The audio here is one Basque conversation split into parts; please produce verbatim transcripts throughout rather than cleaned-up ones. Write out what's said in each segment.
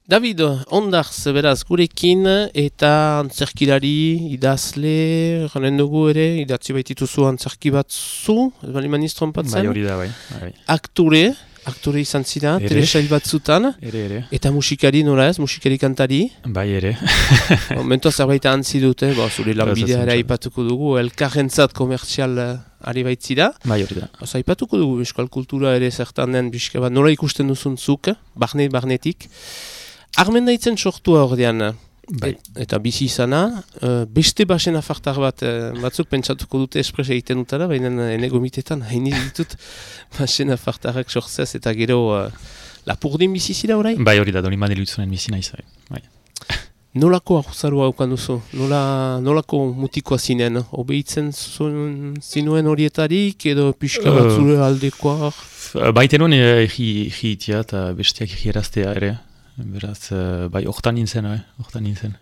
David, ondarz beraz gurekin eta antzerkilari, idazle, janen dugu ere, idatzi baitituzu antzerki batzu, ez bali maniz trompatzen? Bai, hori da, bai. bai. Aktore, aktore izan zira, telesail batzutan. Ere, ere. Eta musikari nola ez, musikari kantari? Bai, ere. Momentoa zerbait antzi dute, bo, zure lanbidea ere aipatuko dugu, elkarrentzat komertzial ari baitzira. Bai, hori da. Oza, aipatuko dugu, euskal kultura ere zertan den, bizka bat, nola ikusten duzun zuk, barne, barnetik. Armen daitzen sortua ordean, bai. et, eta bizi izana, uh, beste basen afartar bat, uh, batzuk pentsatuko dute espres egiten dutara, baina ene gomitetan hain ditut basen afartarrak sortzez eta gero uh, lapurdin bizi zira orain? Bai, hori da, doni manelu itzunen bizi nahiz. Bai. Nolako ahuzarua haukan duzu? Nola, nolako mutikoa zinen? Obeitzen zuen, zinuen horietarik edo pixka bat zure aldekoa? Baiten nuen egi itia eta besteak egi eraztea ere. Beraz, bai, hortan nintzen, bai, hortan nintzen.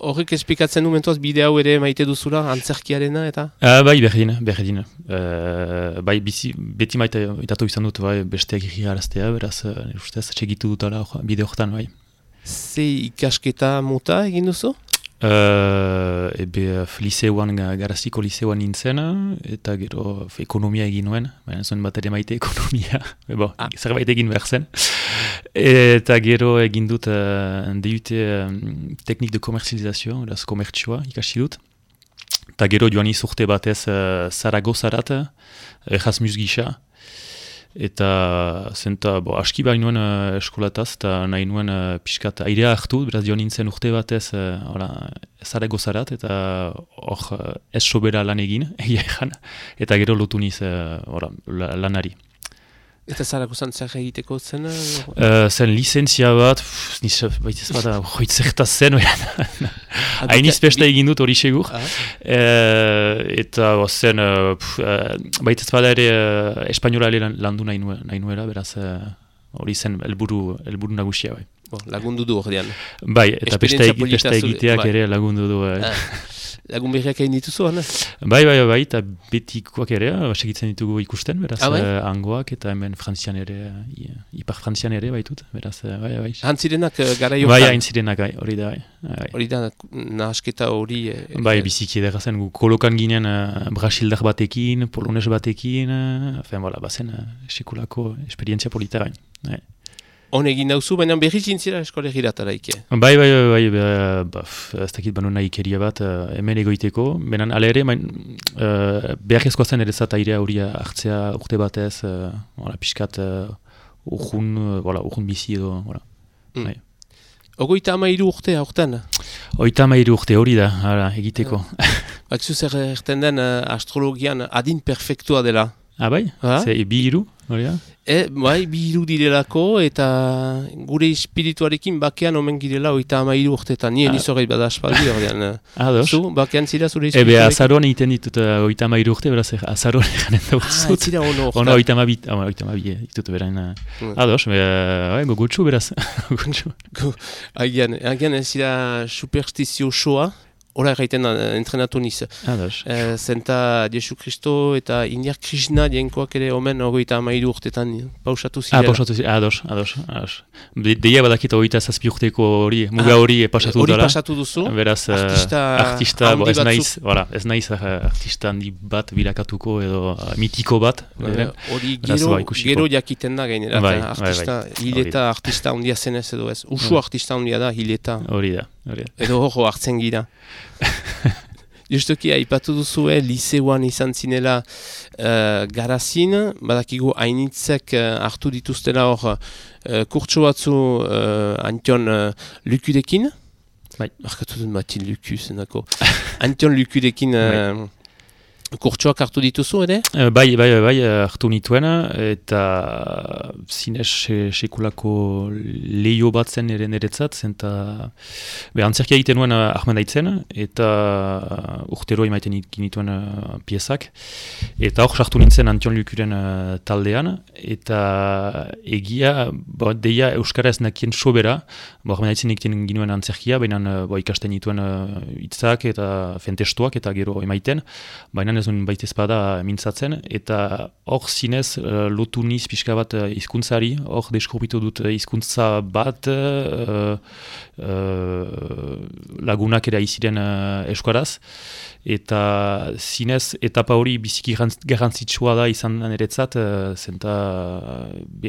Horrek espikatzen du mentuaz bide hau ere maite duzula, antzerkiarena eta? Uh, bai, berdin, berdin. Uh, bai, bizi, beti maite itatu izan dut, bai, besteak egi eraztea, beraz, uh, ustez, txegitu dutala bide hortan, bai. Ze ikasketa mota egin duzu? Uh, ebe liceoan, garaziko liceoan nintzen, eta gero ekonomia egin nuen, baina zuen bat ere maite ekonomia, ebo, ah. zerbait egin behar zen. Eta gero egin dut uh, D U T um, teknik de komerzializazio, eraz komertzioa ikasi dut. Eta gero joan izurte batez uh, Zaragozarat, Erasmus gisa. Eta zenta, bo, aski behar nuen uh, eskolataz, eta nahi nuen uh, pixkat airea hartu, beraz joan nintzen urte batez uh, Zaragozarat, eta hor uh, ez sobera lan egin, egia egan, eta gero lotu niz uh, ora, la, lanari. Eta Zaragozan zer egiteko zen? Uh, zen lizentzia bat, pff, niz baitez bat, hoit zertaz zen, hain izpesta egin dut hori segur. Ah. Uh, eta bo, zen, uh, uh, baitez bat ere uh, espainola ere landu nahi, nue, nahi nuela, beraz hori uh, zen elburu, elburu nagusia. Bai. Bo, lagundu du ordean. Bai, eta pesta egiteak bai. Ere lagundu du. Uh, ah. Lagun berriak egin dituzu, hana? Bai, bai, bai, eta betikoak ere, segitzen ditugu ikusten, beraz, ah, bai? uh, angoak, eta hemen frantzian ere, uh, ipar frantzian ere baitut, beraz, uh, bai, bai. Hantzirenak uh, gara jokan? Bai, hantzirenak, hori da, bai. Hori da, nahasketa hori... Eh, bai, biziki edera zen, gu kolokan ginen uh, brasildar batekin, polones batekin, uh, fen, bola, bazen, uh, sekulako esperientzia polita, bai. bai. Hon egin dauzu, baina berri zintzira eskolegiratara ike? Bai, bai, bai, bai, ba, ez dakit banu nahi ikeria bat, uh, hemen egoiteko, benan ala ere, bain, uh, beharrezkoa zen ere zata airea hori hartzea urte batez, uh, wala, pixkat uh, urjun, uh, wala, urjun bizi edo, wala. Mm. Bai. Ogoita amairu urte, aurten? Oita amairu urte hori da, ara, egiteko. Bakzu zer erten den uh, astrologian adin perfektua dela? Ah, bai? Ha? Ze, bi hiru, hori da? E, bai, bi hiru direlako, eta gure espirituarekin bakean omen girela oita amairu urtetan. Nien ah. izorreit bada aspaldi ordean. Ados. Zu, bakean zira zure espirituarekin? Ebe, azaroan egiten ditut uh, oita amairu urte, beraz, azaroan eganen da utzut. Ah, zira ono orta. Ono oita amabit, ah, oita amabit, ditut berain. Uh, mm. Ados, be, uh, gogotxu beraz. Gogotxu. Agian, agian ez zira superstizio soa. Hora erraiten da, entrenatu niz. Ados. E, zenta Jesu Kristo eta Indiar Krishna dienkoak ere omen ogoita amairu urtetan pausatu zirela. Ah, pausatu zirela, ados, ados. ados. De, deia badakita ogoita zazpi urteko hori, muga hori ah, pasatu dutara. Hori pasatu duzu. Beraz, artista, artista bo, ez naiz, voilà, ez naiz artista handi bat bilakatuko edo uh, mitiko bat. Hori gero, gero jakiten da gainera. Bai, artista, bai, bai. Hileta artista handia zenez edo ez. Usu bai. Artista handia da, hileta. Hori da. Hori. Edo horro hartzen gira. Justoki, aipatu duzue, liceoan izan zinela uh, garazin, badakigu hainitzek uh, hartu dituztela hor uh, kurtso batzu uh, Antion uh, Lukudekin. Bai. Markatu dut Matin Luku, zenako. Antion Lukudekin uh, kurtsoak hartu dituzu, ere? Uh, bai, bai, bai, hartu nituen, eta zinez sekulako lehio bat zen ere niretzat, zenta be, antzerkia egiten nuen uh, ahmendaitzen, eta uh, urtero emaiten nituen uh, piezak, eta hor sartu nintzen Antion Lukuren uh, taldean, eta egia, bo, deia Euskara ez nakien sobera, bo, ahmendaitzen egiten ginuen antzerkia, baina uh, bo, ikasten nituen hitzak uh, eta fentestuak, eta gero emaiten, baina zinez un baita espada mintzatzen, eta hor zinez uh, lotu niz pixka bat uh, hizkuntzari, hor deskubritu dut uh, hizkuntza bat uh, uh, lagunak ere aiziren uh, euskaraz, eta zinez etapa hori biziki garrantzitsua da izan niretzat, uh, zenta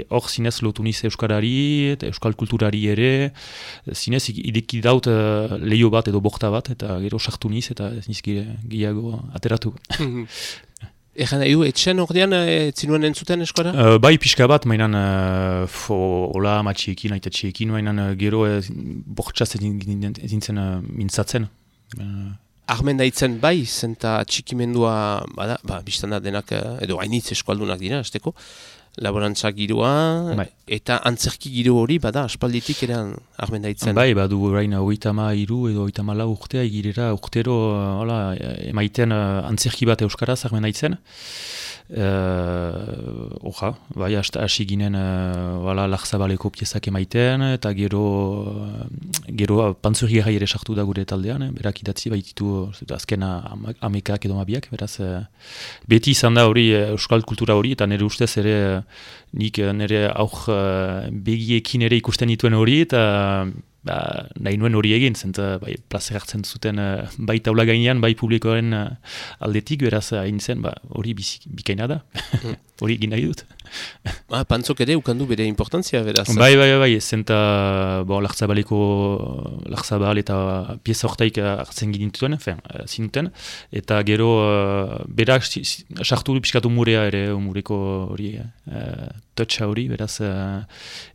hor zinez lotu niz euskarari, eta euskal kulturari ere, zinez ideki daut uh, leio bat edo borta bat, eta gero sartu niz, eta ez niz gehiago ateratu. Egan nahi du, etxean ordean e, zinuen entzuten eskora? Uh, bai, pixka bat, mainan uh, hola matxiekin, aita txiekin, mainan uh, gero uh, bortxaz ezin zen uh, mintzatzen. Uh, Armen daitzen bai, zenta txikimendua, bada, ba, biztan da denak, edo hainitz eskualdunak dira, azteko, laborantza giroa, bai. Eta antzerki giro hori, bada, aspalditik ere armen daitzen. Bai, badu orain oitama iru edo oitama lau urtea, egirera urtero, hola, emaiten uh, antzerki bat euskaraz armen daitzen. Uh, Oja, bai, hasi ginen uh, Larzabaleko piezak emaiten, eta gero uh, gero pantzurri gai ere sartu da gure taldean, eh? Berak idatzi baititu azken amekak edo mabiak, beraz uh, beti izan da hori euskal kultura hori, eta nire ustez ere nik nire auk uh, begiekin ere ikusten dituen hori, eta ba, nahi nuen hori egin, zenta bai, plazer hartzen zuten uh, bai taula gainean, bai publikoaren uh, aldetik, beraz hain zen, ba, hori bikaina da, hori egin nahi dut. Ah, pantzok ere ukandu bere importantzia, beraz. Bai, bai, bai, zenta bo, Larzabaleko, Larzabal eta pieza hortaik hartzen gintuen, zinuten, eta gero uh, berak sartu piskatu murea ere, mureko hori, uh, toucha hori, beraz, uh,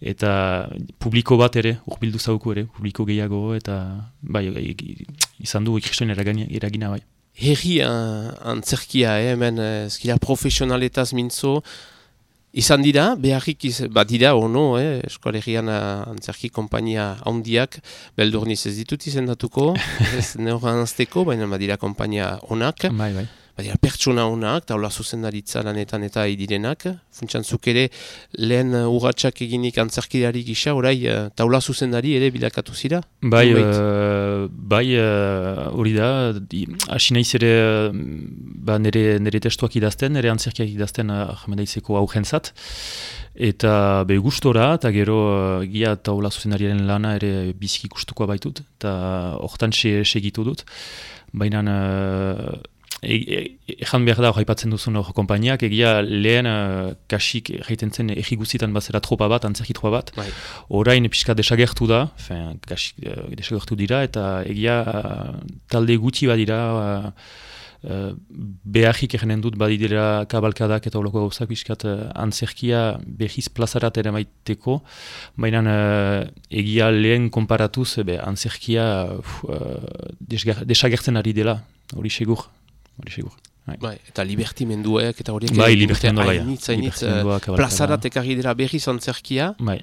eta publiko bat ere, urbildu zauku ere, publiko gehiago, eta bai, izan du ikristoen eragina bai. Herri uh, antzerkia, eh, hemen, ezkila profesionaletaz mintzo, izan dira, beharrik, iz, ba dira, ono, eh, eskolegian uh, antzerki kompainia handiak, beldurniz ez ditut izendatuko, ez neoran azteko, baina badira kompainia onak. Bai, bai. Badira pertsona honak, taula zuzendaritza lanetan eta idirenak. Funtsantzuk ere lehen urratsak eginik antzerkidari gisa, orai taula zuzendari ere bilakatu zira? Bai, uh, bai hori uh, da, hasi naiz ere ba, nire, nire testuak idazten, nire antzerkiak idazten ahmedaizeko augentzat. Eta be gustora, eta gero uh, gia taula zuzendariaren lana ere biziki gustukoa baitut, eta hortan segitu dut. Baina uh, Ejan behar da, haipatzen duzun hor kompainiak, egia lehen uh, kasik jaiten zen egiguzitan bazera tropa bat, antzerki tropa bat. Bai. Orain pixka desagertu da, fin, kasik uh, desagertu dira, eta egia uh, talde guti badira, uh, uh, beharrik egenen dut badidera kabalkadak eta holoko gauzak pixkat uh, antzerkia behiz plazarat ere maiteko, baina uh, egia lehen konparatuz, be, antzerkia uh, desagertzen ari dela, hori segur. Bai, eta libertimenduek eta horiek bai, libertimendua bai, hainitz, hainitz plazarat ekarri dira berriz antzerkia. Bai.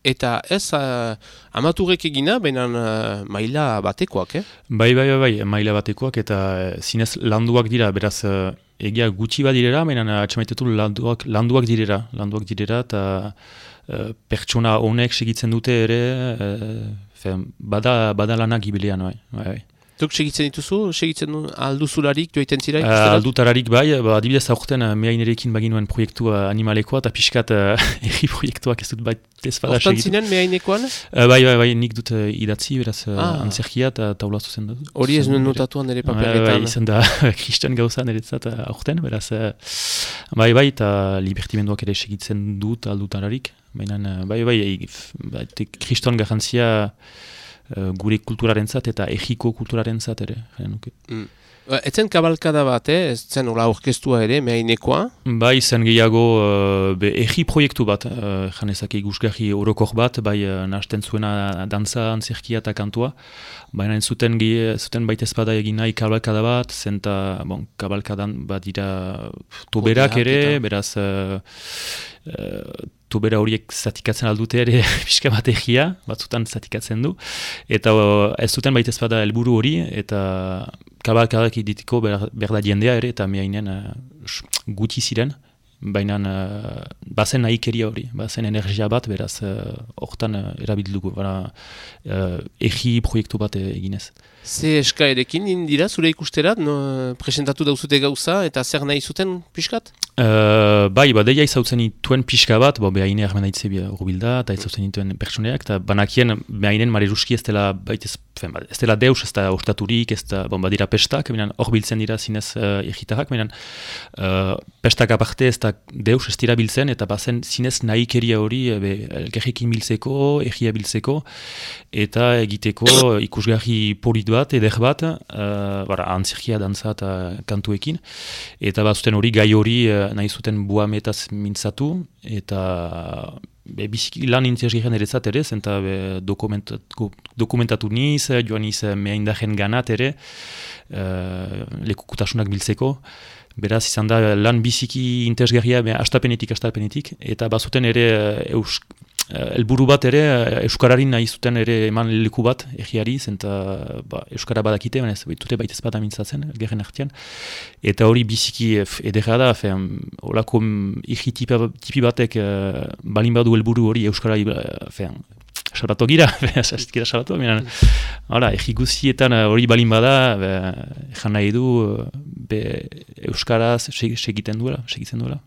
Eta ez uh, amaturek egina, baina uh, maila batekoak, eh? Bai, bai, bai, bai, maila batekoak, eta uh, zinez landuak dira, beraz uh, egia gutxi bat direra, baina atxamaitetu landuak, landuak direra, landuak direra, eta uh, pertsona honek segitzen dute ere, uh, bada, bada lanak ibilean, bai, bai, bai. Tuk segitzen dituzu, segitzen alduzularik, joiten zira? Uh, aldutararik bai, ba, adibidez aurten uh, mehainerekin baginuen proiektu uh, animalekoa, eta pixkat uh, erri proiektuak ez dut bat ez bada segitu. Hortan zinen mehainekoan? Uh, bai, bai, bai, nik dut uh, idatzi, beraz uh, ah. antzerkia eta taula zuzen dut. Hori ez nuen notatuan ere paperetan. Uh, bai, izan da kristan gauza niretzat uh, aurten, beraz uh, bai, bai, eta libertimenduak ere segitzen dut aldutararik, baina uh, bai, bai, bai, kriston garrantzia Uh, gure kulturarentzat eta egiko kulturarentzat ere. Mm. Etzen kabalkada bat, eh? Ez zen hola orkestua ere, mehainekoa? Bai, zen gehiago uh, egi proiektu bat, uh, janezak igusgarri orokor bat, bai uh, nahasten zuena dantza, antzerkia eta kantua, baina zuten, zuten baita ezpada egin nahi kabalkada bat, zenta bon, kabalkadan bat dira toberak ere, eta beraz uh, uh, tobera horiek zatikatzen aldute ere pixka bat egia, batzutan zatikatzen du, eta ez zuten baita ezpada helburu hori, eta kabalkadak iditiko berda jendea ere, eta mehainen uh, guti ziren, baina uh, bazen nahikeria hori, bazen energia bat, beraz, hortan uh, uh, erabildugu, bara, uh, egi proiektu bat eginez. Ze eskaerekin indira, zure ikusterat, no, presentatu dauzute gauza, eta zer nahi zuten pixkat? Uh, bai, ba, deia izautzen dituen pixka bat, bo, behaine armen daitze rubilda, eta izautzen dituen pertsoneak, eta banakien behainen mareruski ez dela, baitez, ez dela deus, ez da ostaturik, ez da, bon, badira pestak, hor biltzen dira zinez uh, egitarrak, uh, pestak aparte ez da deus ez dira biltzen, eta bazen zinez nahikeria hori, elkerrekin biltzeko, egia biltzeko, eta egiteko ikusgarri polit bat, eder bat, uh, bara, antzirkia, dantza eta kantuekin, eta bazuten hori gai hori uh, nahi zuten buametaz mintzatu, eta be, biziki lan interesgarrian ere zat ere, zenta dokumentatu, dokumentatu niz, joan niz mehaindaren ganat ere, uh, lekukutasunak biltzeko, beraz izan da lan biziki interesgarria, astapenetik, astapenetik, eta bazuten ere eus, helburu bat ere, euskararin nahi zuten ere eman leku bat, egiari, zenta ba, euskara badakite, baina ez dute baitez bat amintzatzen, gerren artean. Eta hori biziki edera da, holako igi tipi batek uh, balin badu helburu hori euskara fean, salbatu gira, salbatu salbatu, minan, hala, egi guztietan hori balin bada, ezan nahi du, be, euskaraz segiten duela, segitzen duela.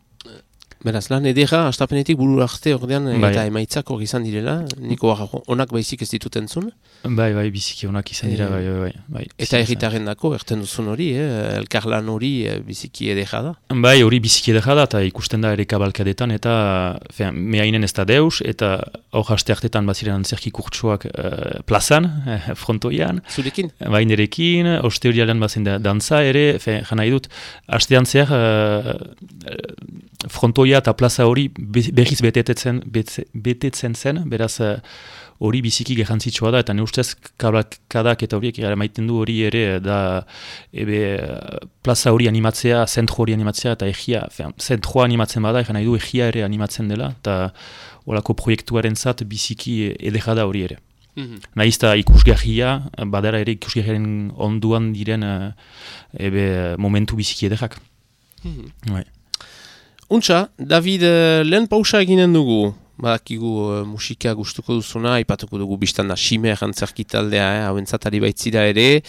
Beraz, lan edera, astapenetik buru arte ordean, bai. Eta emaitzak hori izan direla, niko onak baizik ez dituten zuen? Bai, bai, biziki onak izan dira, e... bai, bai, bai. Eta erritaren dako, erten duzun hori, eh? Elkarlan hori biziki edera da? Bai, hori biziki edera da, eta ikusten da ere kabalkadetan, eta mehainen ez da deus, eta hor haste hartetan baziren antzerki kurtsuak uh, plazan, eh, frontoian. Zurekin? Bai, nerekin, oste hori alen bazen da dantza ere, jana idut, hastean zer, uh, frontoia eta plaza hori berriz betetzen, betetzen zen, beraz hori biziki garrantzitsua da, eta ne ustez kadak eta horiek gara maiten du hori ere da ebe, plaza hori animatzea, zentro hori animatzea, eta egia, zentroa animatzen bada, egan nahi du egia ere animatzen dela, eta horako proiektuaren zat biziki edera da hori ere. Mm-hmm. Nahiz eta ikusgarria, badara ere ikusgarriaren onduan diren ebe, momentu biziki ederak. Mm-hmm. Bai. Untxa, David, lehen pausa eginen dugu, badakigu uh, musika gustuko duzuna, aipatuko dugu biztan da Simer antzerki taldea, eh, hauentzatari baitzira ere,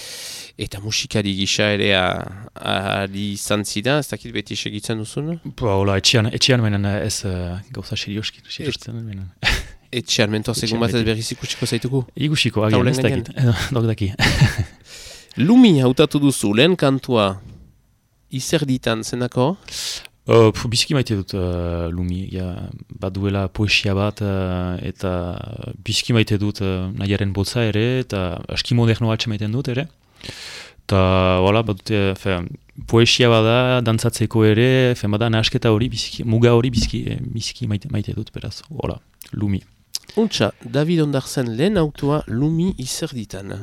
eta musikari gisa ere ari izan zida, ez dakit beti segitzen duzuna? Ba, hola, etxean, etxean menen ez uh, gauza serioski, seriosten menen. Etxean, mentoa segun bat ez berriz ikusiko zaituko? Ikusiko, agian, ez dakit, dok daki. Lumi hautatu duzu, lehen kantua, izer ditan, zenako? Uh, biziki maite dut uh, Lumi, ja, baduela poesia bat, uh, eta biziki maite dut uh, nahiaren botza ere, eta aski moderno atxe maiten dut ere. Eta, voilà, badute, fe, poesia bada, dantzatzeko ere, fe, bada nahasketa hori, biziki, muga hori biziki, biziki maite, maite dut, beraz, voilà, Lumi. Untxa, David Ondartzen lehen autua Lumi izer ditan.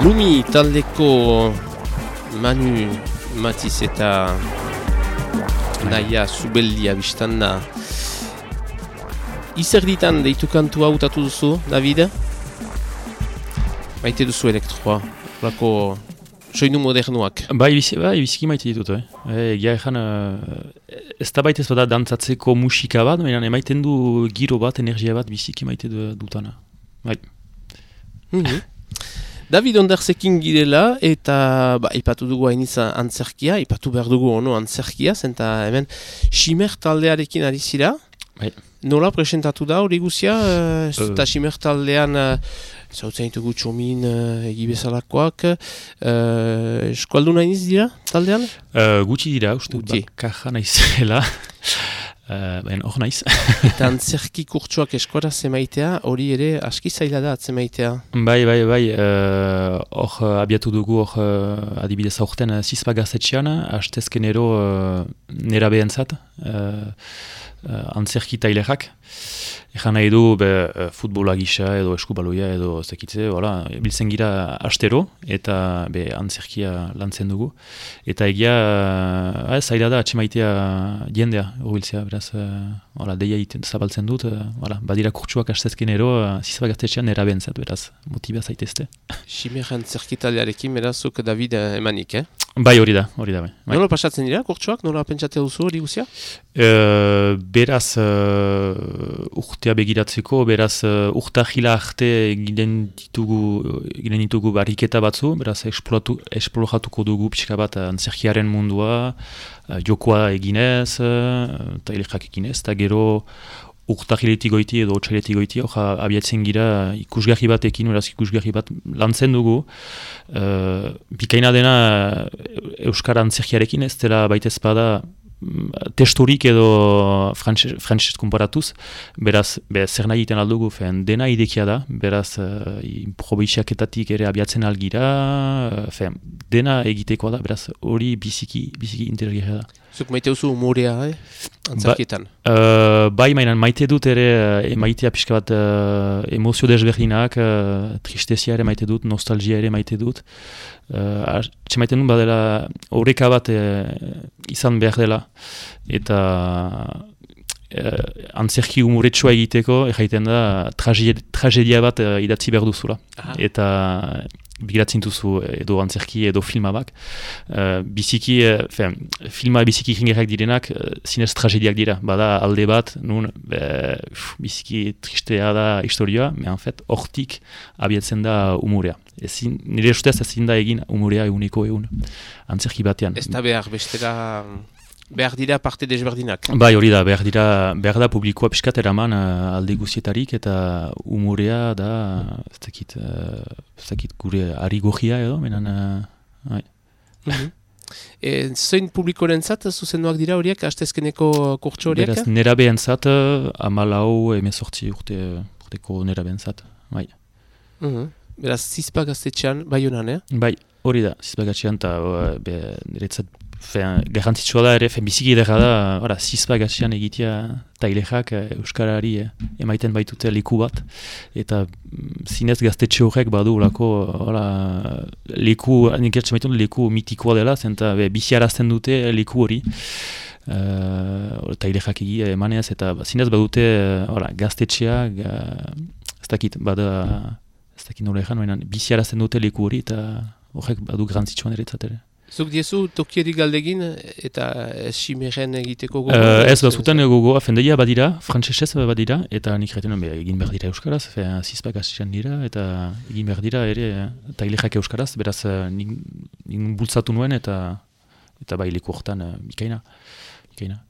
Lumi taldeko Manu Matiz eta Naia Zubeldia biztan da. Izerditan deitu kantua hautatu duzu, David? Maite duzu elektroa, lako soinu modernuak. Bai, bai, biziki maite ditut, eh? Egia ezan, ez da baita ez bada dantzatzeko musika bat, baina emaiten du giro bat, energia bat biziki maite dutana. Bai. Mm-hmm. David Onderzekin girela eta ba, ipatu dugu hain izan antzerkia, ipatu behar dugu ono antzerkia, zenta hemen Ximer taldearekin ari zira. Bai. Nola presentatu da hori guzia, eta uh, Ximer taldean zautzen ditugu Txomin uh, egibezalakoak, uh, eskualdun hain dira taldean? Uh, gutxi dira, uste dut, kaja naizela. Uh, ben, hor naiz. Eta antzerki kurtsuak eskoraz zemaitea, hori ere aski zaila da atzemaitea. Bai, bai, bai, hor uh, abiatu dugu hor uh, adibidez aurten uh, Zizpa gaztetxean, hastezkenero uh, nera behentzat, uh, uh, antzerki tailerak. Egan nahi du, be, uh, futbola gisa edo eskubaloia edo zekitze, voilà, biltzen gira astero eta be, antzerkia lantzen dugu. Eta egia, uh, zaila da atxemaitea jendea, urbiltzea, beraz, uh, voilà, deia iten zabaltzen dut, uh, voilà, badira kurtsuak astezkenero, uh, Zizpa gaztetxean nera behentzat, beraz, motiba zaitezte. Ximer antzerkitalearekin, berazuk David emanik, eh? Bai, hori da, hori da, bai. Nola pasatzen dira, kurtsuak? Nola pentsatea duzu hori guzia? Uh, beraz, uh, urtea begiratzeko, beraz, uh, urta jila arte ginen ditugu, ginen ditugu barriketa batzu, beraz, esploratuko dugu pixka bat antzerkiaren mundua, uh, jokoa eginez, uh, eta ilegak eginez, eta gero urtahiletik goiti edo otxailetik goiti, oja abiatzen gira ikusgarri batekin, beraz ikusgarri bat lantzen dugu. Uh, bikaina dena Euskara antzerkiarekin ez dela baita ezpada testorik edo frantzez konparatuz, beraz, be, zer nahi egiten aldugu, fen, dena idekia da, beraz, uh, improvisaketatik ere abiatzen algira, uh, fen, dena egitekoa da, beraz, hori biziki, biziki interesgarria da. Zuk maite duzu humorea, eh? Antzerkietan? Ba, uh, bai, mainan, maite dut ere, uh, maitea pixka bat uh, emozio desberdinak, uh, tristezia ere maite dut, nostalgia ere maite dut. Uh, Txe maite dut, badela, horreka bat uh, izan behar dela, eta uh, antzerki humoretsua egiteko, egiten da, tragedia bat uh, idatzi behar duzula. Aha. Eta bigiratzen duzu edo antzerki edo filma bak. Uh, biziki, uh, fe, filma biziki jingerrak direnak, uh, zinez tragediak dira. Bada alde bat, nun, be, uf, biziki tristea da historioa, me en fet, hortik abiatzen da humorea. Ezin, nire ustez ezin da egin humorea eguneko egun, antzerki batean. Ez da behar, bestera... Behar dira parte desberdinak. Bai, hori da, behar dira, behar da publikoa piskat eraman uh, alde guzietarik eta humorea da, ez dakit, uh, ez dakit gure ari gogia edo, menan, uh, bai. Mm-hmm. E, zein publikoren zat, zuzenduak dira horiek, hastezkeneko kurtso horiek? Beraz, nera behen zat, uh, amalau, emezortzi urte, urteko nera behen zat, bai. Mm-hmm. Beraz, Zizpa gaztetxean, bai honan, eh? Bai, hori da, Zizpa gaztetxean, eta uh, niretzat, garrantzitsua da ere, biziki edera da, ora, Zizpa gaztean egitea tailexak Euskarari eh, emaiten baitute leku bat, eta mm, zinez gaztetxe horrek badu lako, ora, leku, nik ertzen baitun leku mitikoa dela, zenta biziarazten dute leku hori, uh, tailexak egia emanez, eta zinez badute ora, gaztetxea, ga, ez dakit, bada, ez dakit nola egan, biziarazten dute leku hori, eta horrek badu garrantzitsuan ere ere. Zuk diezu tokieri galdegin eta Ximeren egiteko gogo? Uh, ez bazuten gogoa, fendeia badira, frantzesez badira, eta nik retenen egin behar dira Euskaraz, Zizpa gaztetxean dira, eta egin behar dira ere tailexak Euskaraz, beraz nik, nik bultzatu nuen eta eta bai leku horretan uh, bikaina. bikaina.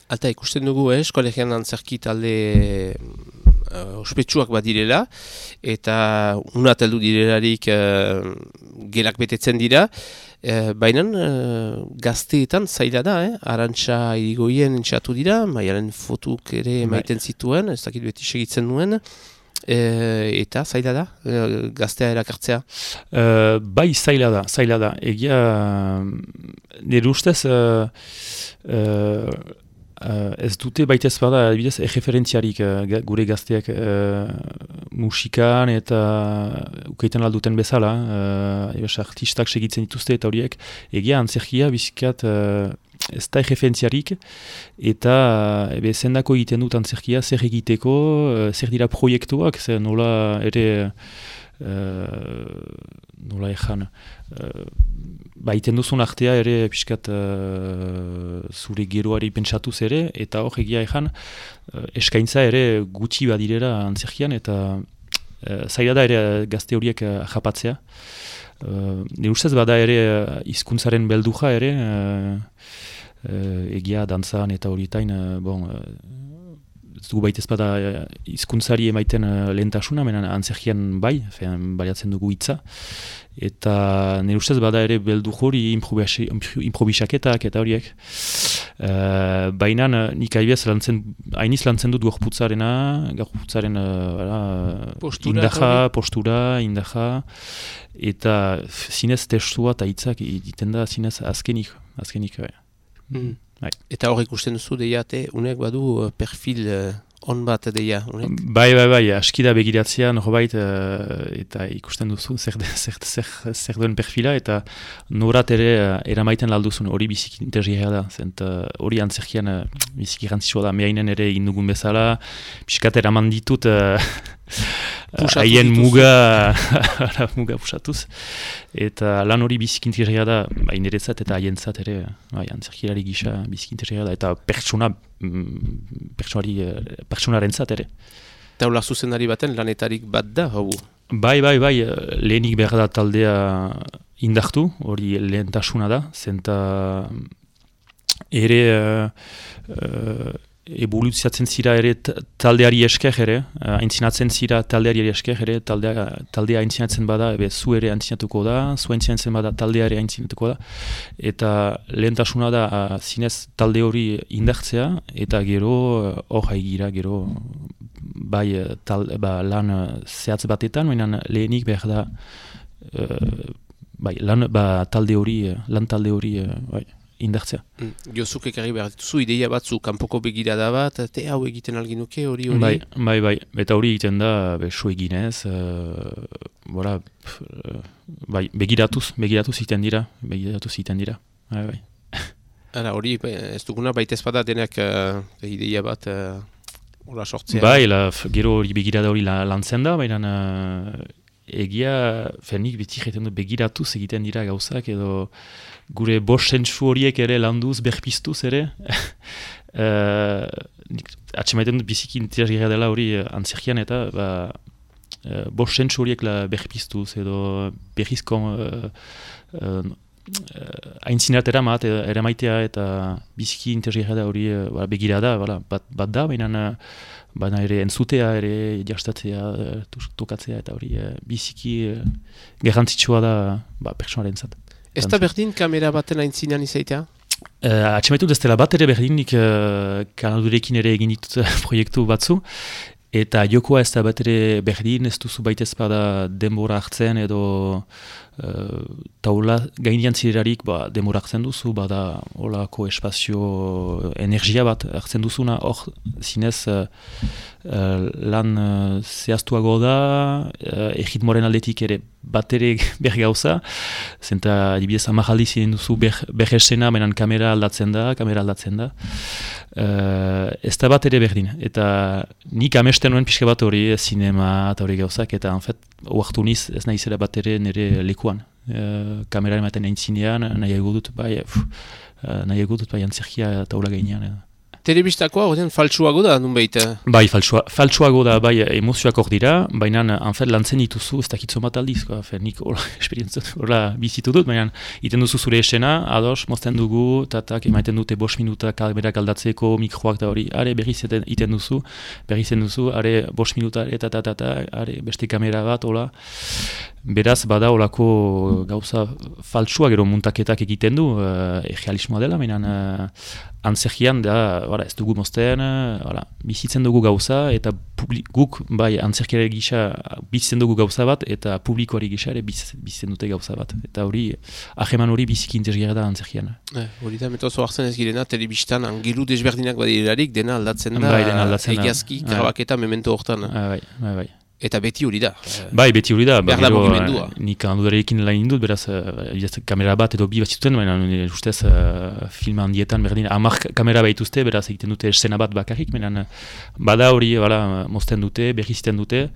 Alta ikusten dugu, eh, eskolegian antzerki talde uh, ospetsuak badirela, eta unat heldu direlarik uh, gelak betetzen dira, uh, baina uh, gazteetan zaila da, eh? Arantxa irigoien entxatu dira, maialen fotuk ere emaiten zituen, ez dakit beti segitzen nuen, E, eta zaila da, e, gaztea erakartzea? Uh, bai, zaila da, zaila da. Egia, nire ustez, uh, uh, Uh, ez dute baita ez bada, adibidez, erreferentziarik uh, gure gazteak uh, musikan eta ukaiten alduten bezala, uh, ebes artistak segitzen dituzte eta horiek, egia antzerkia bizikat uh, ez da erreferentziarik eta uh, ebe zendako egiten dut antzerkia, zer egiteko, uh, zer dira proiektuak, zer nola ere uh, nola ezan, uh, baiten duzun artea ere pixkat uh, zure geroari pentsatuz ere, eta hor egia ezan uh, eskaintza ere gutxi badirera antzerkian, eta uh, zaila da ere gazte horiek uh, japatzea. Uh, ne ustez bada ere uh, hizkuntzaren belduja ere, uh, uh, egia dantzan eta horietain, uh, bon, uh, ez dugu baita ez bada hizkuntzari emaiten uh, lehentasuna, menen antzerkian bai, fean, baliatzen dugu hitza. Eta nire ustez bada ere beldu hori improbisaketak eta horiek. Uh, Baina nik aibez lantzen, hainiz lantzen dut gorputzarena, gorputzaren uh, postura, indaja, hori? postura, indaja, eta zinez testua eta hitzak egiten da zinez azkenik. azkenik bai. Mm. Bai. Eta hor ikusten duzu deiate, unek badu perfil uh, on bat deia, unek? Bai, bai, bai, aski da begiratzea, norbait, uh, eta ikusten duzu zer, zer, zer, zer duen perfila, eta norat ere uh, eramaiten lalduzun hori biziki interesgarria da, zent hori uh, antzerkian uh, biziki garantzitsua da, mehainen ere indugun bezala, pixkat eraman ditut, uh, haien muga, muga pusatuz, eta lan hori biziki interesgarria da, bai niretzat eta haientzat ere, bai, antzerkilari gisa biziki interesgarria da, eta pertsona, pertsonari, pertsonaren zat ere. Taula zuzendari baten lanetarik bat da, hau? Bai, bai, bai, lehenik behar da taldea indartu, hori lehentasuna da, zenta ere uh, uh, evolutziatzen zira ere taldeari esker ere, aintzinatzen zira taldeari esker ere, taldea, taldea aintzinatzen bada, ebe zu ere aintzinatuko da, zu aintzinatzen bada taldea ere aintzinatuko da, eta lehentasuna da uh, zinez talde hori indartzea, eta gero hor haigira, gero bai tal, ba, lan zehatz batetan, baina lehenik behar da uh, bai, lan ba, talde hori, lan talde hori uh, bai. Indartzea. Mm. Jozuk ekarri behar dituzu, ideia batzu, kanpoko begirada bat, te hau egiten alginuke, hori hori? Bai, bai, bai, eta hori egiten da, beso eginez, uh, bora, uh, bai, begiratuz, begiratuz egiten dira, begiratuz egiten dira, bai, bai. Ara, hori, ez duguna, baita ezpada denak uh, ideia bat, hori uh, sortzea? Bai, la, gero hori begirada hori lantzen da, baina uh, egia, fenik beti egiten du begiratuz egiten dira gauzak, edo gure bost sentsu horiek ere landuz, berpiztuz ere. uh, Atxemaiten dut biziki interesgarria dela hori antzerkian eta ba, uh, bost sentsu horiek berpiztuz edo berrizko uh, uh, aintzinat eramat, eramaitea eta biziki interesgarria da hori uh, begira da, bala, bat, bat da, baina uh, baina ere entzutea, ere jastatzea, uh, tokatzea eta hori uh, biziki uh, garrantzitsua da ba, pertsonaren zat. Ez da berdin kamera baten aintzinean izaitea? Uh, Atxemaitu ez dela bat ere berdinik uh, Kanadurekin ere egin ditut proiektu batzu, eta jokoa ez da bat ere berdin, ez duzu baita ez bada denbora hartzen edo uh, taula gainean zirerarik ba, denbora hartzen duzu, bada holako espazio energia bat hartzen duzuna, hor zinez uh, uh, lan uh, zehaztuago da, uh, egitmoren aldetik ere bat ere bergauza, zenta adibidez amajaldi ziren duzu bergesena, menan kamera aldatzen da, kamera aldatzen da. Uh, ez da bat ere berdin, eta nik amesten nuen pixka bat hori, zinema eta hori gauzak, eta en fet, oartu niz ez nahi zera bat ere nire lekuan. Uh, kamera ematen aintzinean, nahi egudut, bai, uh, nahi egudut, bai, antzerkia taula gainean. Uh. Telebistakoa horrean faltsuago da, nun behita? Bai, faltsua, faltsuago da, bai, emozioak hor dira, baina, anfet, lantzen dituzu, ez dakitzo bat aldiz, fe, nik hola, esperientzat, hola, bizitu dut, baina, iten duzu zure esena, ados, mozten dugu, tatak, emaiten dute bost minuta kamerak aldatzeko, mikroak da hori, are, berriz iten duzu, berriz iten duzu, are, bost minuta, eta, eta, eta, are, beste kamera bat, hola, beraz, bada olako gauza faltsua gero muntaketak egiten du, uh, egealismoa dela, baina uh, antzerkian da, voilà, ez dugu mozten, voilà, bizitzen dugu gauza, eta publi, guk, bai, antzerkiare gisa bizitzen dugu gauza bat, eta publikoari gisa ere biz, bizitzen dute gauza bat. Eta hori, aheman hori biziki interesgarria da antzerkian. Hori eh, da, metozo hartzen ez girena, telebistan angelu desberdinak badirelarik, dena aldatzen da, bai, dena aldatzen da. egiazki, grabaketa memento hortan. Ah, bai, bai, bai. Eta beti hori da. Bai, beti hori da. Behar da mugimendua. Nik handudarekin lan indut, beraz, uh, kamera bat edo bi bat zituten, baina ustez uh, film handietan berdin, amak kamera behituzte, beraz egiten dute eszena bat bakarrik, baina bada hori, bala, mozten dute, berrizten dute,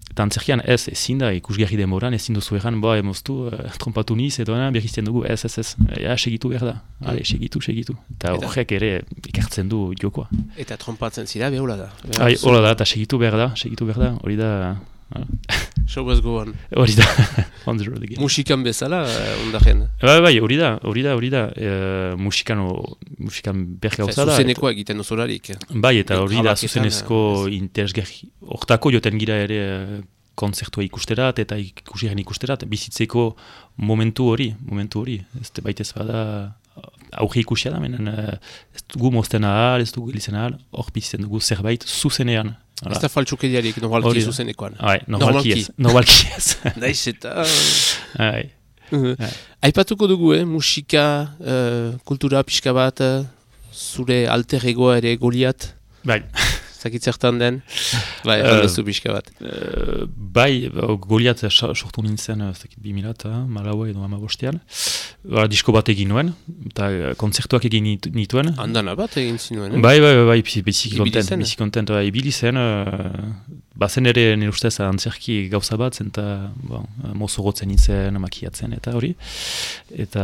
eta antzerkian ez, ezin da, ikusgarri demoran, ezin duzu egan, boa, emoztu, uh, trompatu niz, edo berrizten dugu, ez, ez, ez, ja, segitu behar da, ale, segitu, segitu. Eta horrek ere ikartzen du jokoa. Eta trompatzen zira, behula da. Hai, hola da, eta segitu behar da, segitu behar da, hori da... Show must go on. Hori da, on the road again. Musikan bezala, ondaren. Bai, bai, hori da, hori da, hori da, musikan, musikan bergauza da. Zuzenekoa egiten osolarik. Bai, eta hori da, zuzenezko interesgarri. Hortako joten gira ere konzertua ikusterat eta ikusiaren ikusterat, bizitzeko momentu hori, momentu hori. Ez baitez bada, auge ikusia da, menen, ez dugu mozten ahal, ez dugu gilizen ahal, hor bizitzen dugu zerbait zuzenean. Ez da faltsukediarik, normalki zuzenekoan. Hai, normalki ez. Normalki ez. Daiz eta... Hai. Aipatuko dugu, eh? Musika, uh, kultura pixka bat, zure alter egoa ere Goliat. Bai. Zakitzertan den, bai, aldezu pixka bat. Uh, bai, Goliat sortu nintzen, zakit bi mila eta malaua edo hamabostean. Disko bat egin nuen, eta konzertuak egin nituen. Andana bat egin zinuen, eh? Bai, bai, bai, bai, biziki kontent, biziki kontent, bai, ibili zen, uh, bazen ere nire ustez antzerki gauza bat, zen eta bon, mozorotzen nintzen, makiatzen, eta hori. Eta,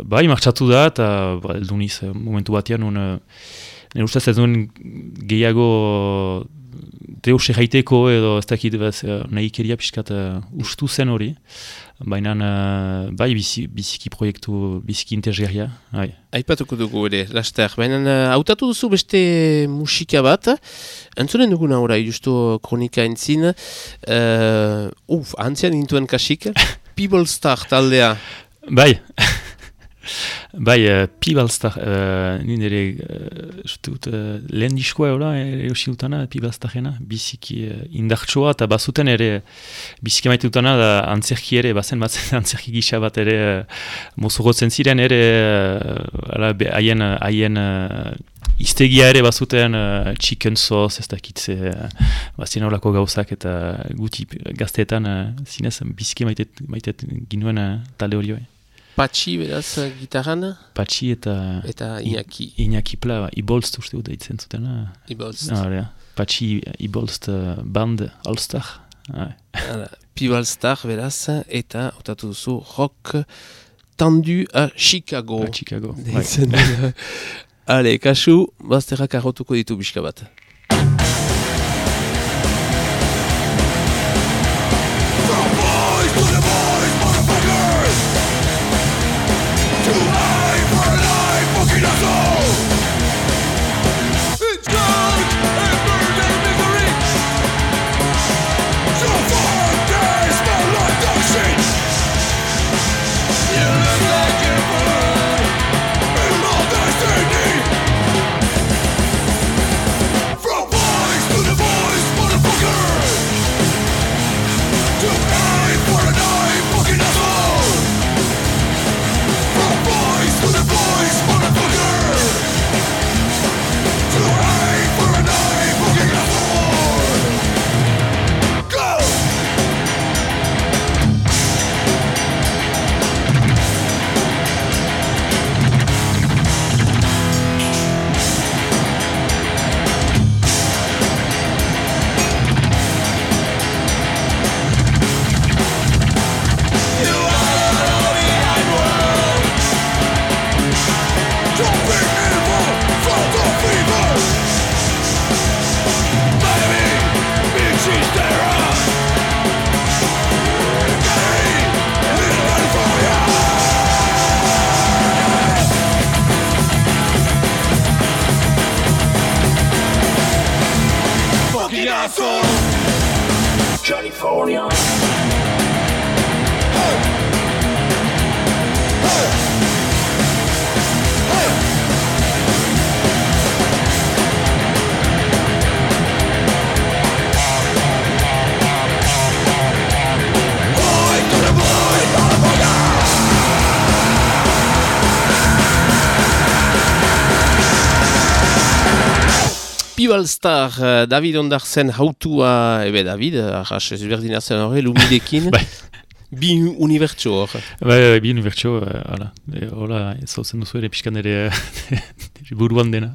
bai, martxatu da, eta ba, eldu niz, momentu batean, un, nire ustez ez duen gehiago deus erraiteko edo ez dakit nahi keria pixkat uh, ustu zen hori. Baina, uh, bai, bizi, biziki proiektu, biziki interesgarria. Aipatuko dugu ere, laster. Baina, hautatu duzu beste musika bat. Entzunen duguna ora, justu kronika entzin. Uh, uf, antzian gintuen kasik. People Star taldea. Bai. Bai, uh, Pibalstar, uh, nire uh, uh, lehen diskoa eola, erosi dutana, Pibalstarena, biziki uh, indartsoa, eta bazuten ere, biziki maite dutana, da antzerki ere, bazen batzen antzerki gisa bat ere, uh, mozorotzen ziren ere, haien uh, haien uh, iztegia ere bazuten, uh, chicken sauce, ez dakitze, uh, bazien horako gauzak, eta guti gazteetan, uh, zinez, biziki maite, maite ginuen uh, talde hori bai. Patxi, beraz, gitarran? Patxi eta... Eta Iñaki. Iñaki Pla, Ibolst uste dut eitzen zuten. Ibolst. Ah, Patxi, Ibolst band All-Star. Ah. Pibalstar, beraz, eta otatu duzu rock tendu a Chicago. A Chicago, bai. Ale, kasu, bazterrak arrotuko ditu bizka bat. California. Hey! Hey! Hey! Pibalstar, uh, David Ondartzen hautua, ebe David, arras ezberdina zen horre, lumidekin, bi unibertso hor. Bai, bai, bi unibertso, hala, hola, zautzen duzu ere pixkan ere buruan dena.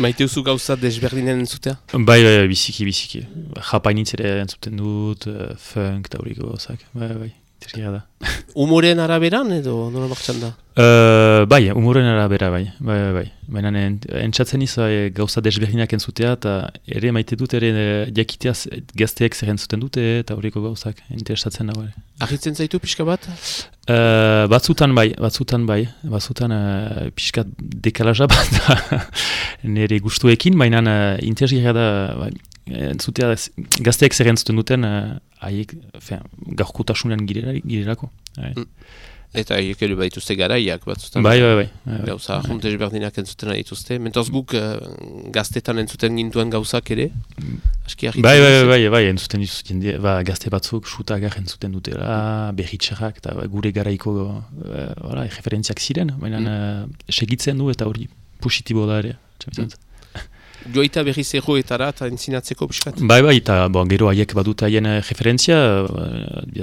Maite duzu gauza desberdinen entzutea? Bai, bai, biziki, biziki. Japainitz ere entzuten dut, funk eta horiko gauzak, bai, bai. Terria da. Umoren araberan edo nola martxan da? Uh, bai, umoren arabera bai, bai, bai, bai. Baina entzatzen izan e, gauza desberdinak entzutea eta ere maite dut ere jakiteaz gazteek zer entzuten dute eta horiko gauzak interesatzen dago ere. Ahitzen zaitu pixka bat? Uh, batzutan bai, batzutan bai, batzutan uh, pixka dekalaja bat nire gustuekin, baina uh, interesgarria da bai. Entzutea gazteek zer entzuten duten haiek uh, gaurkotasunean girerako. Mm. Eta haiek ere badituzte garaiak batzutan. Bai, bai, bai. bai gauza, bai. Juntes berdinak entzuten dituzte. Mentoz guk uh, gaztetan entzuten gintuen gauzak ere. Aski bai, bai, bai, bai, bai, entzuten dituzten. Ba, gazte batzuk sutagar entzuten dutela, berritxarrak, eta gure garaiko uh, referentziak ziren. Baina mm. uh, segitzen du eta hori positibo da ere. Mm. Joita berriz erroetara eta entzinatzeko piskat? Bai, bai, eta bon, gero haiek badut haien referentzia,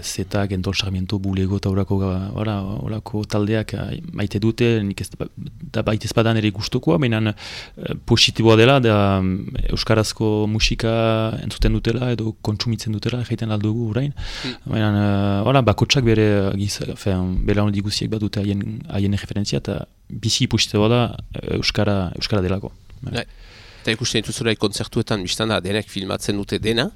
zeta, Gentol Sarmiento, Bulego eta horako taldeak maite dute, nik ez da baitez badan ere gustukoa, baina positiboa dela, da euskarazko musika entzuten dutela edo kontsumitzen dutela, jaiten aldugu orain. Mm. Baina, ora, bakotsak bere giz, bela honi diguziek badute haien, haien referentzia, eta bizi positiboa da euskara, euskara delako. Bai. Eta ikusten dituzura kontzertuetan biztan da denek filmatzen dute dena,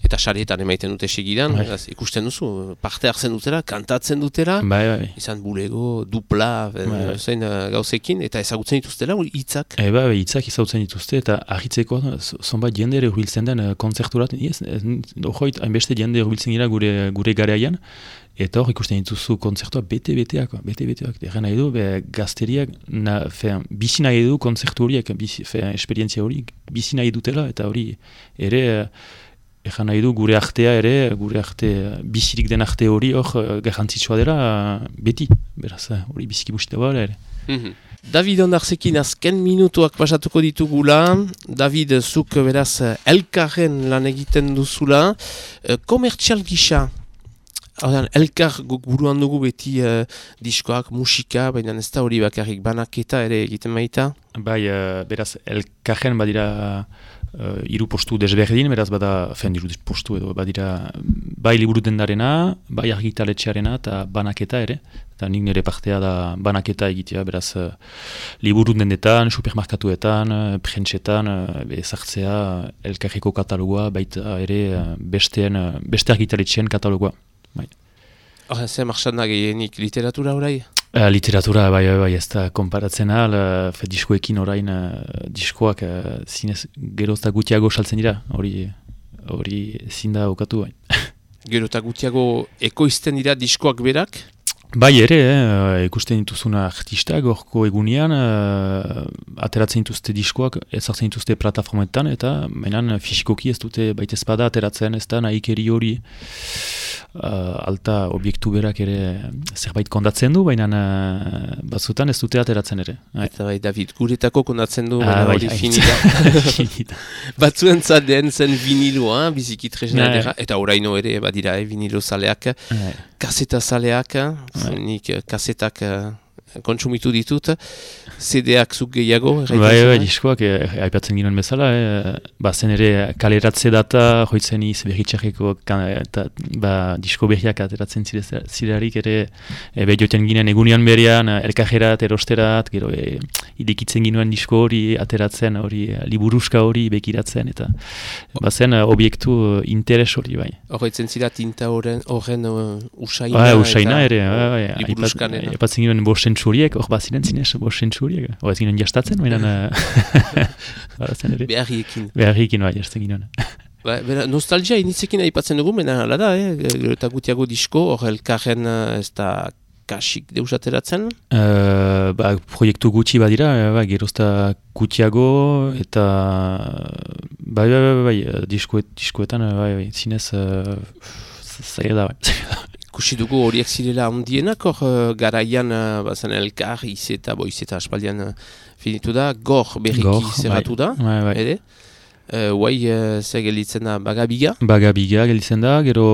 eta sarietan emaiten dute segidan, bai. Ikusten duzu, parte hartzen dutela, kantatzen dutela, bai, bai. Izan bulego, dupla, bai. Zain gauzekin, eta ezagutzen dituztela hitzak. E, bai, hitzak ezagutzen dituzte, eta ahitzeko, zonbait jende ere hurbiltzen den kontzerturat, hojoit, hainbeste jende hurbiltzen gira gure, gure gareaian, eta hor ikusten dituzu kontzertua bete-beteak, bete-beteak, erren nahi du, be, gazteriak, na, fe, bizi nahi du kontzertu horiek, bizi, fe, esperientzia hori, bizi nahi dutela, eta hori ere, erren nahi du gure artea ere, gure arte, bizirik den arte hori hor garrantzitsua dela, beti, beraz, hori biziki busita bala ere. Mm-hmm. David Ondartzekin azken minutuak pasatuko ditugula, David, zuk beraz elkarren lan egiten duzula, komertzial gisa, Ordan, elkar guk buruan dugu beti uh, diskoak, musika, baina ez da hori bakarrik banaketa ere egiten baita? Bai, uh, beraz, elkarren badira uh, iru postu desberdin, beraz bada, fen iru postu edo badira bai liburu dendarena, bai argitaletxearena eta banaketa ere. Eta nik nire partea da banaketa egitea, beraz uh, liburu dendetan, supermarkatuetan, uh, prentsetan, uh, ezartzea elkarreko katalogoa, baita ere uh, besteen, uh, beste argitaletxean katalogoa. Bai. Horren zen marxan da gehienik literatura orai? Uh, literatura, bai, bai, bai, ez da konparatzen ahal, uh, diskoekin orain uh, diskoak uh, zinez gerozta gutiago saltzen dira, hori hori zinda okatu bai. Gerozta gutiago ekoizten dira diskoak berak? Bai ere, eh, ikusten dituzuna artistak, gorko egunean, uh, ateratzen dituzte diskoak, ezartzen dituzte plataformetan, eta menan fisikoki ez dute baitezpada ateratzen, ez da nahikeri hori uh, alta obiektu berak ere zerbait kondatzen du, baina uh, batzutan ez dute ateratzen ere. Eta bai, David, guretako kondatzen du, ah, hori bai, finita. Batzuen zaten zen viniloa, biziki tresna edera, eta oraino ere, badira, eh, vinilo zaleak, ah, kaseta zaleak, nik kasetak uh, kontsumitu ditut, C D-ak zuk gehiago? Bai, bai, diskoak, aipatzen ginen bezala, eh, bazen ere kaleratze data, joitzen iz berritxarreko, eta ba, disko berriak ateratzen zirarik ere, e, behioten ginen egunean berean, elkajerat, erosterat, gero e, idikitzen ginen disko hori, ateratzen hori, liburuska hori bekiratzen, eta bazen obiektu interes hori, bai. Horretzen zira tinta horren uh, usaina? Ba, usaina ere, bai, liburuskan. Aipatzen ginen bosten txuriek, hor baziren zinez bosten txuriek. Hor ez ginen jastatzen, baina... Beharriekin. Beharriekin, bai, jasten ginen. Ba, nostalgia initzekin aipatzen dugu, baina hala da, eh? Eta gutiago disko, hor elkarren ez da kasik deus ateratzen? Uh, ba, proiektu gutxi badira, ba, gerozta gutiago, eta... Bai, bai, bai, bai, diskoet, diskoetan, bai, bai, zinez... Uh, zaila da, bai. Kusi dugu horiek zirela ondienak, hor garaian uh, bazen elkar, izeta, bo izeta aspaldian uh, finitu da, gor berriki zerratu da, bai, bai. ere? uh, guai uh, ze gelditzen da bagabiga? Bagabiga gelditzen da, gero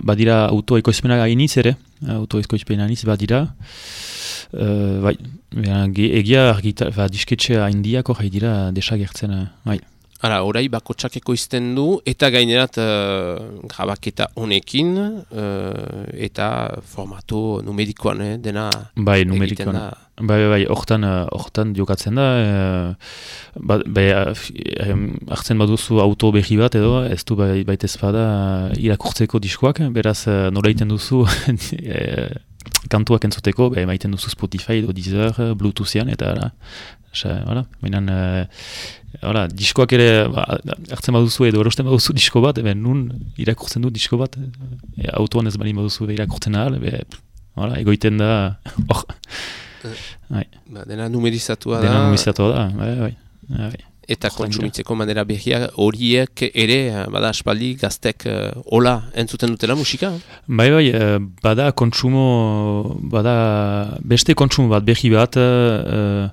badira autoekoizpena gainitz ere, autoekoizpena gainitz badira. Uh, bai, egia argita, ba, disketxe haindiako jai dira desagertzen, bai. Hala, orai bakotsak ekoizten du, eta gainerat uh, grabaketa honekin, uh, eta formato numerikoan, eh, dena bai, numerikoan. Da. Bai, bai, hortan, hortan jokatzen da, uh, ba, bai, hartzen baduzu auto behi bat edo, ez du bai, baitez bada irakurtzeko diskoak, beraz nola iten duzu kantuak entzuteko, bai, maiten duzu Spotify edo Deezer, Bluetoothian, eta ara, Hala, mainan, uh, diskoak ere, ba, hartzen baduzu edo erosten baduzu disko bat, ebe nun irakurtzen du disko bat, e, autoan ez balin baduzu irakurtzen ahal, ebe, hala, egoiten da, hor. Ba, dena numerizatua da. Dena numerizatua da, bai, bai. bai. Eta kontsumitzeko manera behia horiek ere, bada aspaldi gaztek uh, hola entzuten dutela musika? Bai, bai, bada kontsumo, bada beste kontsumo bat behi bat, uh,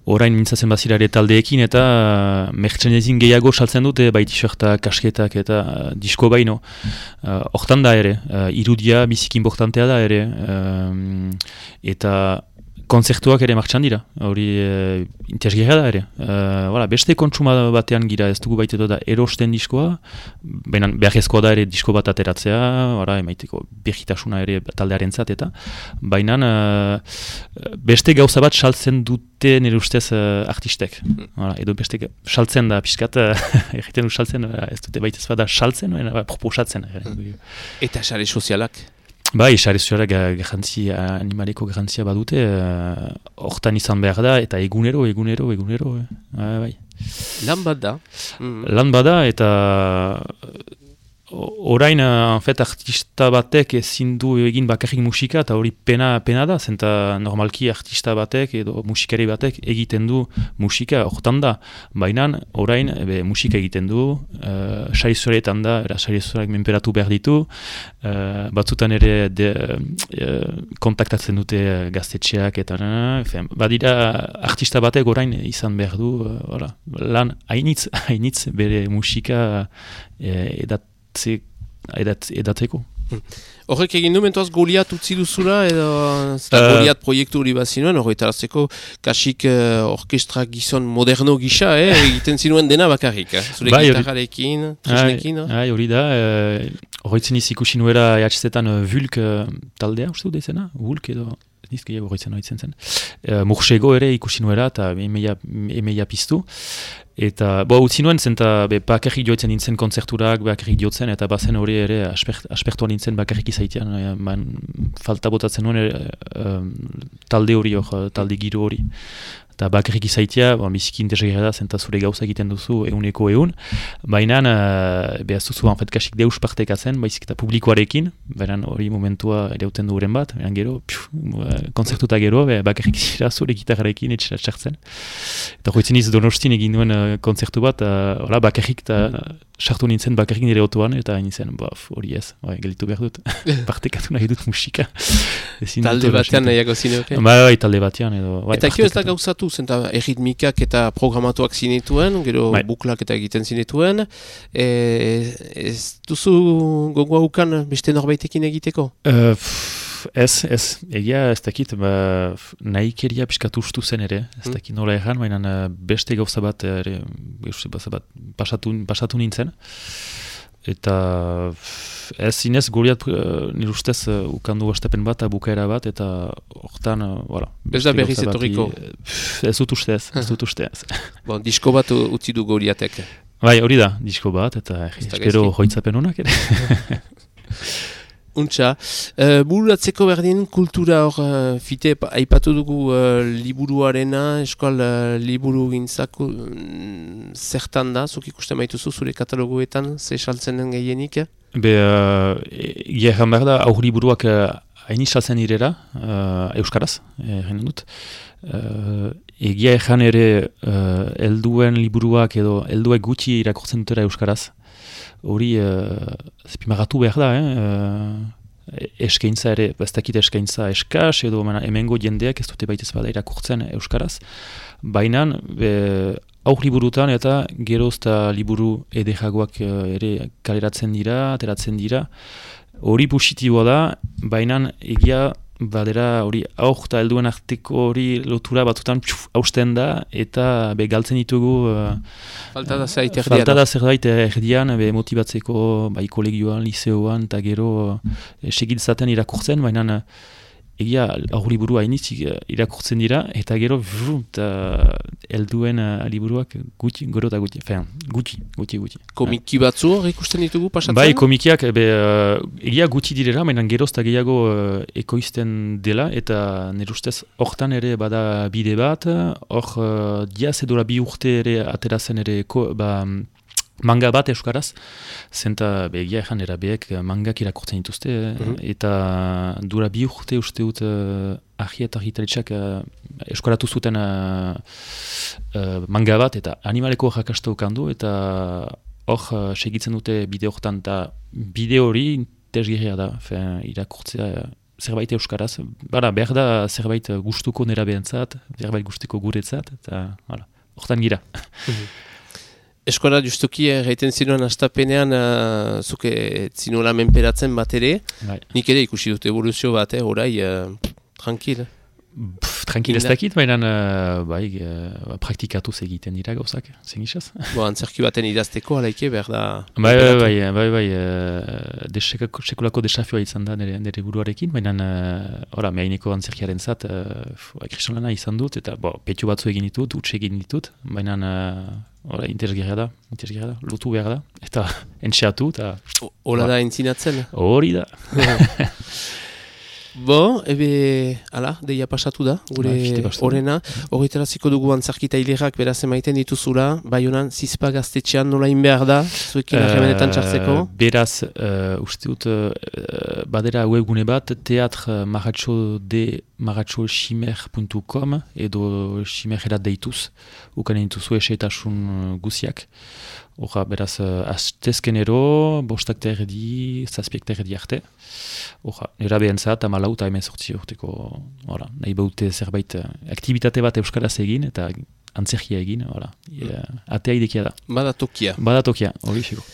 orain mintzatzen bazirare taldeekin eta uh, merchandising gehiago saltzen dute, bai t-shirtak, kasketak eta uh, disko baino. Hortan uh, da ere, uh, irudia biziki importantea da ere, um, eta konzertuak ere martxan dira, hori e, interesgarria da ere. E, voilà, beste kontsuma batean gira ez dugu baitetu da erosten diskoa, baina beharrezkoa da ere disko bat ateratzea, voilà, emaiteko behitasuna ere taldearentzat eta, baina e, beste gauza bat saltzen dute nire ustez e, artistek. Voilà, edo beste saltzen da pixkat, egiten du saltzen, ez dute baitez bada saltzen, baina proposatzen. Eta sare sozialak? Bai, sare sozialak garrantzia, animaleko garrantzia badute, hortan uh, izan behar da, eta egunero, egunero, egunero. Eh. Uh, bai. Lan bat da. Mm. Lan bat da, eta orain, en fet, artista batek ezin du egin bakarrik musika, eta hori pena, pena da, zenta normalki artista batek edo musikari batek egiten du musika, hortan da. Baina, orain, ebe, musika egiten du, uh, sari zoretan da, era sari zoreak menperatu behar ditu, uh, batzutan ere de, uh, kontaktatzen dute gaztetxeak, eta uh, badira artista batek orain izan behar du, uh, voilà, lan hainitz, hainitz bere musika uh, edat Edat, edatzeko. Horrek egin du mentuaz Goliat utzi duzula edo uh, Goliat proiektu hori bat zinuen, horretarazteko kasik uh, orkestra gizon moderno gisa, eh, egiten zinuen dena bakarrik, eh? Zure bai, gitarrarekin, tresnekin. Hai, hori da, horretzen uh, iz ikusi nuera E H Z-etan uh, Vulk uh, taldea, uste dut ezena? Vulk edo... Nizkia horretzen horitzen zen. Uh, Mursego ere ikusi nuera eta emeia, emeia piztu. Eta, bo, utzi nuen zen, eta bakarrik joetzen nintzen kontzerturak, bakarrik joetzen, eta bazen hori ere aspekt, aspektuan nintzen bakarrik izaitean. E, man, falta botatzen nuen ere, um, talde hori, or, talde giro hori. Eta bakarrik izaitea, bon, biziki interesgarria da, zenta zure gauza egiten duzu eguneko egun. Baina, uh, behaz duzu, anfet, kasik deus partekatzen, baizik eta publikoarekin, baina hori momentua erauten duren bat, baina gero, piu, konzertuta gero, be, bakarrik zira zure gitarrarekin etxera txartzen. Eta hoitzen iz Donostin egin duen uh, konzertu bat, uh, bakarrik eta sartu nintzen bakarrik nire otoan, eta nintzen, hori ez, gelitu behar dut, partekatu nahi dut musika. Talde batean nahiago zineoke? Ba, bai, talde batean edo. Eta kio ez da gauzatu, zenta erritmikak eta programatuak zinetuen, gero bai. Buklak eta egiten zinetuen, e, ez duzu gogoa ukan beste norbaitekin egiteko? Uh, Ez, ez, egia ez dakit, ba, nahi keria piskatu ustu zen ere, ez dakit nola erran, baina beste gauza bat, ere, gauza bat pasatu, pasatu nintzen. Eta ez zinez, Goliat uh, nire ustez uh, ukandu astepen bat, bukaera bat, eta hortan, uh, voilà. Ez da berriz etorriko? Ez dut uste ez, ez dut uste ez. Bon, disko bat utzi du Goliatek? Bai, hori da, disko bat, eta espero hoitzapen honak ere. Untxa, uh, bururatzeko berdin kultura hor uh, fite aipatu dugu uh, liburuarena, eskal uh, liburu gintzak uh, zertan da, zuk ikusten maituzu zure katalogoetan, ze saltzen den gehienik? Be, uh, gehan behar da, aur liburuak hain uh, saltzen direra, uh, euskaraz, egin dut. Uh, egia ezan ere uh, elduen liburuak edo elduek gutxi irakortzen dutera euskaraz. Hori uh, zipimagatu behar da, eh? uh, eskaintza ere, ez dakit eskaintza eskas, edo mena, hemengo jendeak ez dute baitez bada irakurtzen euskaraz. Baina aur liburutan eta gerozta liburu edejagoak ere kaleratzen dira, ateratzen dira. Hori positiboa da, baina egia badera hori aur eta helduen arteko hori lotura batutan pxuf, hausten da eta be galtzen ditugu uh, falta da zerbait erdian. Falta da zerbait erdian, be motibatzeko bai kolegioan, liseoan eta gero uh, segitzaten irakurtzen, baina uh, egia aur liburu hainitz irakurtzen dira eta gero eta helduen uh, liburuak gutxi, gero eta gutxi, fean, gutxi, gutxi, gutxi. Komiki batzu hor ikusten ditugu pasatzen? Bai, komikiak be, uh, egia gutxi direla, baina geroz eta gehiago uh, ekoizten dela eta nire ustez hortan ere bada bide bat, hor uh, diaz edora bi urte ere aterazen ere ko, ba, manga bat euskaraz, zenta begia egan erabeek mangak irakurtzen dituzte, mm-hmm. eta dura bi urte uste dut uh, ahi eta argitaletxak uh, euskaratu zuten uh, uh, manga bat, eta animaleko jakasta ukandu, eta hor uh, segitzen dute bide horretan, eta bide hori interesgarria da, fe, irakurtzea uh, zerbait euskaraz, bara, behar da zerbait gustuko nera behentzat, zerbait gustuko guretzat, eta horretan gira. Mm-hmm. Eskola justuki erraiten zinuen astapenean uh, zuke zinula menperatzen bat ere, bai. Nik ere ikusi dut evoluzio bat, eh, orai, uh, tranquil. Pff, tranquil ez dakit, baina uh, bai, uh, praktikatuz egiten dira gauzak, zen isaz. Bo, antzerki baten idazteko, alaike, behar da... Bai, bai, bai, bai, bai, uh, de sekulako desafioa izan da nire, nire buruarekin, baina, ora, uh, mehaineko antzerkiaren zat, uh, kriston lana izan dut, eta, bo, petxu batzu egin ditut, utxe egin ditut, baina... Uh, Hora, interesgarria da, interesgarria da, lutu behar da, eta entxeatu, eta... Hora da entzinatzen? Hori da. Bo, ebe, ala, deia pasatu da, gure horrena. Horretaraziko dugu antzarkita hilerak beraz emaiten dituzula, bai honan, zizpa gaztetxean nolain behar da, zuekin arremenetan txartzeko? Uh, beraz, uh, uste dut, uh, badera webgune bat, teatr maratxo de maratxo ximer puntu com edo ximer erat deituz, ukanen dituzu esetasun guziak. Hora, beraz, uh, astezkenero, bostak terdi, zazpiek terdi arte. Hora, nera behentzat, amalau eta hemen sortzi urteko, hora, nahi baute zerbait aktivitate bat euskaraz egin, eta antzerkia egin, hora, e, atea idekia da. Bada tokia. Bada tokia, hori figu.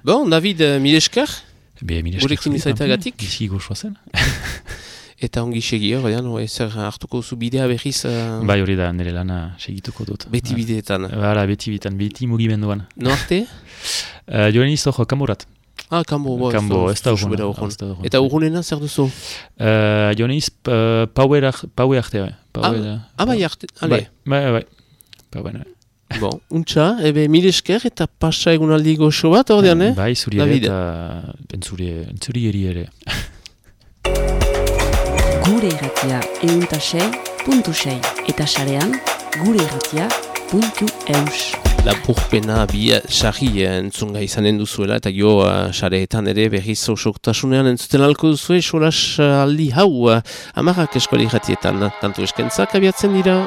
Bon, David, uh, mileskar? Be, mileskar. Gurekin izaitagatik? Gizi goxoa zen. Eta ongi segi hor, zer hartuko zu bidea behiz? Uh... Bai hori da, nire lana segituko dut. Beti bideetan? Bala, beti bideetan, beti mugimenduan. No arte? uh, Joan izto jo, Kamborat. Ah, Kambo, bo, Kambo, ez da urgun. Eta urgunena zer duzu? Uh, Joan iz, uh, paue arte. Ah, bai arte, ale. Bai, bai, bai. Paue arte. Bon, untxa, ebe mil esker eta pasa egunaldi goxo bat, ordean, eh? Bai, zuri ere eta entzuri eri ere. Gure irratia euntasei puntu sei eta sarean gure irratia puntu eus. Lapurpena bi sarri entzunga izanen duzuela eta gio sareetan ere berriz osoktasunean entzuten alko duzue solas aldi hau amarrak eskuali irratietan tantu eskentzak abiatzen dira.